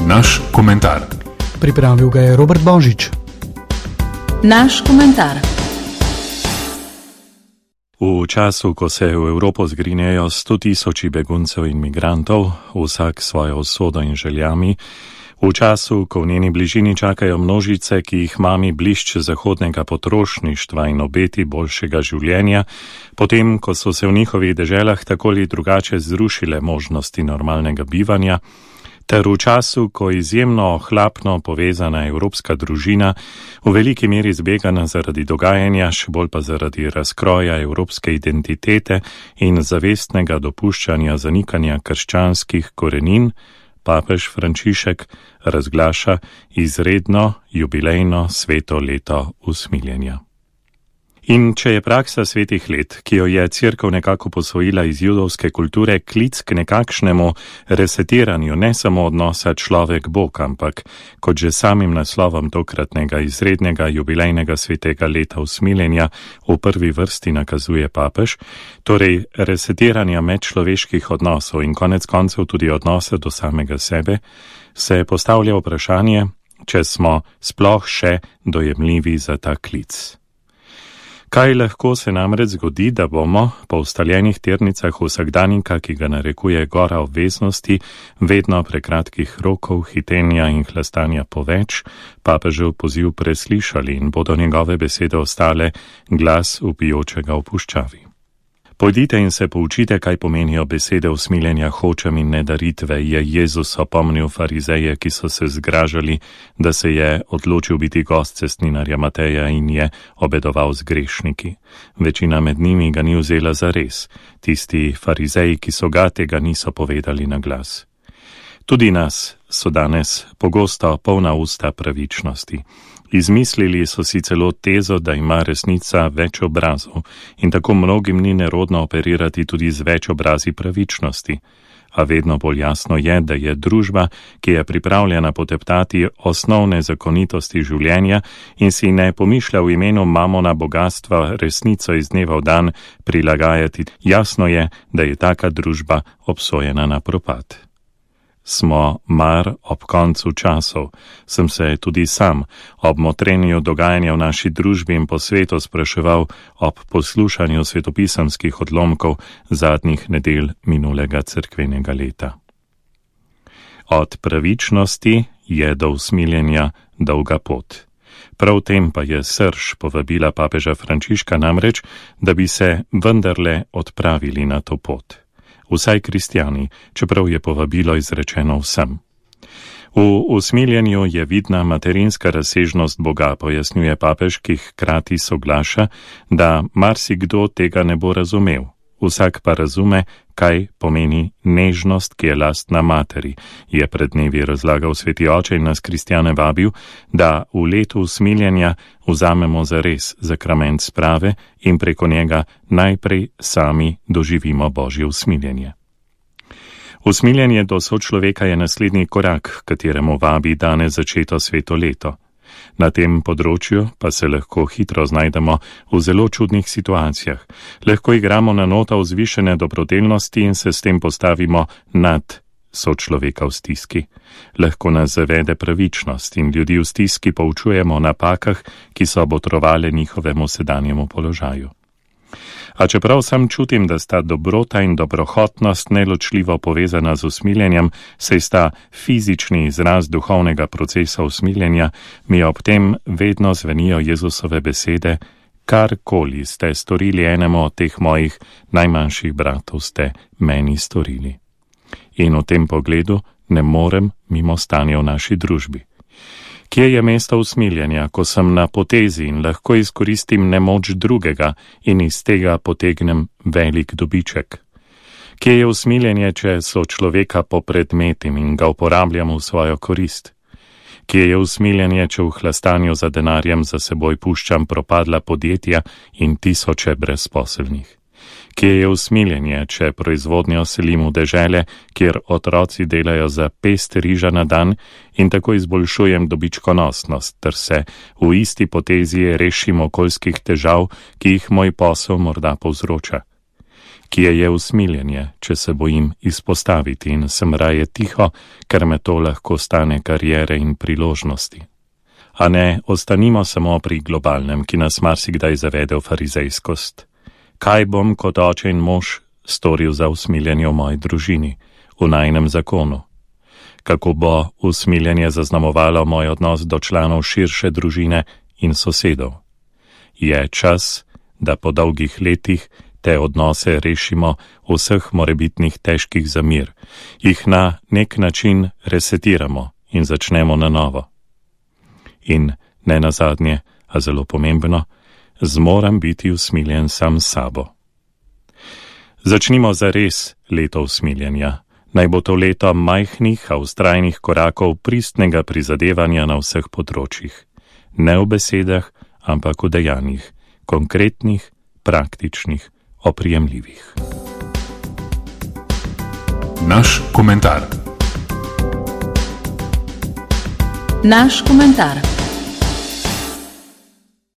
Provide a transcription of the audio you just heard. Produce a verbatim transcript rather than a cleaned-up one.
Naš komentar. Pripravil ga je Robert Božič. Naš komentar. V času, ko se v Evropo zgrinejo sto tisoči beguncev in migrantov, vsak svojo usodo in željami, v času, ko v njeni bližini čakajo množice, ki jih mami blišč zahodnega potrošništva in obeti boljšega življenja, potem, ko so se v njihovih deželah tako ali drugače zrušile možnosti normalnega bivanja, ter v času, ko izjemno ohlapno povezana evropska družina v veliki meri zbegana zaradi dogajanja, še bolj pa zaradi razkroja evropske identitete in zavestnega dopuščanja zanikanja krščanskih korenin, papež Frančišek razglaša izredno jubilejno sveto leto usmiljenja. In če je praksa svetih let, ki jo je Cerkev nekako posvojila iz judovske kulture, klic k nekakšnemu resetiranju ne samo odnosa človek-bog, ampak kot že samim naslovom tokratnega izrednega jubilejnega svetega leta usmiljenja v prvi vrsti nakazuje papež, torej resetiranja medčloveških odnosov in konec koncev tudi odnosa do samega sebe, se postavlja vprašanje, če smo sploh še dojemljivi za ta klic. Kaj lahko se namreč zgodi, da bomo po ustaljenih tirnicah vsakdanjika, ki ga narekuje gora obveznosti, vedno prekratkih rokov, hitenja in hlastanja po več, papežev poziv preslišali in bodo njegove besede ostale glas vpijočega v puščavi. Pojdite in se poučite, kaj pomenijo besede usmiljenja hočem in ne daritve, je Jezus opomnil farizeje, ki so se zgražali, da se je odločil biti gost cestninarja Mateja in je obedoval z grešniki. Večina med njimi ga ni vzela za res, tisti farizeji, ki so ga, tega niso povedali na glas. Tudi nas so danes pogosto polna usta pravičnosti. Izmislili so si celo tezo, da ima resnica več obrazov in tako mnogim ni nerodno operirati tudi z več obrazi pravičnosti. A vedno bolj jasno je, da je družba, ki je pripravljena poteptati osnovne zakonitosti življenja in si ne pomišlja v imenu mamona bogatstva resnico iz dneva v dan prilagajati, jasno je, da je taka družba obsojena na propad. Smo mar ob koncu časov, sem se tudi sam ob motrenju dogajanja v naši družbi in po svetu spraševal ob poslušanju svetopisemskih odlomkov zadnjih nedelj minulega cerkvenega leta. Od pravičnosti je do usmiljenja dolga pot. Prav tem pa je srž povabila papeža Frančiška namreč, da bi se vendarle odpravili na to pot. Vsaj kristjani, čeprav je povabilo izrečeno vsem. V usmiljenju je vidna materinska razsežnost Boga, pojasnjuje papež, ki hkrati soglaša, da marsikdo tega ne bo razumel. Vsak pa razume, kaj pomeni nežnost, ki je lastna materi, je pred dnevi razlagal sveti oče in nas kristjane vabil, da v letu usmiljenja vzamemo zares zakrament sprave in preko njega najprej sami doživimo Božje usmiljenje. Usmiljenje do sočloveka je naslednji korak, kateremu vabi danes začeto sveto leto. Na tem področju pa se lahko hitro znajdemo v zelo čudnih situacijah. Lahko igramo na noto vzvišene dobrodelnosti in se s tem postavimo nad sočloveka v stiski. Lahko nas zavede pravičnost in ljudi v stiski poučujemo o napakah, ki so botrovale njihovemu sedanjemu položaju. A čeprav sam čutim, da sta dobrota in dobrohotnost neločljivo povezana z usmiljenjem, saj sta fizični izraz duhovnega procesa usmiljenja, mi ob tem vedno zvenijo Jezusove besede, karkoli ste storili enemu od teh mojih najmanjših bratov, ste meni storili. In v tem pogledu ne morem mimo stanja v naši družbi. Kje je mesto usmiljenja, ko sem na potezi in lahko izkoristim nemoč drugega in iz tega potegnem velik dobiček? Kje je usmiljenje, če so človeka popredmetim in ga uporabljam v svojo korist? Kje je usmiljenje, če v hlastanju za denarjem za seboj puščam propadla podjetja in tisoče brezposelnih? Kje je usmiljenje, če proizvodnjo selim v dežele, kjer otroci delajo za pest riža na dan in tako izboljšujem dobičkonosnost, ter se v isti potezi rešim okoljskih težav, ki jih moj posel morda povzroča? Kje je usmiljenje, če se bojim izpostaviti in sem raje tiho, ker me to lahko stane karijere in priložnosti? A ne ostanimo samo pri globalnem, ki nas marsikdaj zavede v farizejskost. Kaj bom kot oče in mož storil za usmiljenje v moji družini, v najinem zakonu? Kako bo usmiljenje zaznamovalo moj odnos do članov širše družine in sosedov? Je čas, da po dolgih letih te odnose rešimo vseh morebitnih težkih zamir, jih na nek način resetiramo in začnemo na novo. In ne nazadnje, a zelo pomembno, zmorem biti usmiljen sam s sabo. Začnimo zares leto usmiljenja. Naj bo to leto majhnih, a vztrajnih korakov pristnega prizadevanja na vseh področjih. Ne v besedah, ampak v dejanjih, konkretnih, praktičnih, oprijemljivih. Naš komentar. Naš komentar.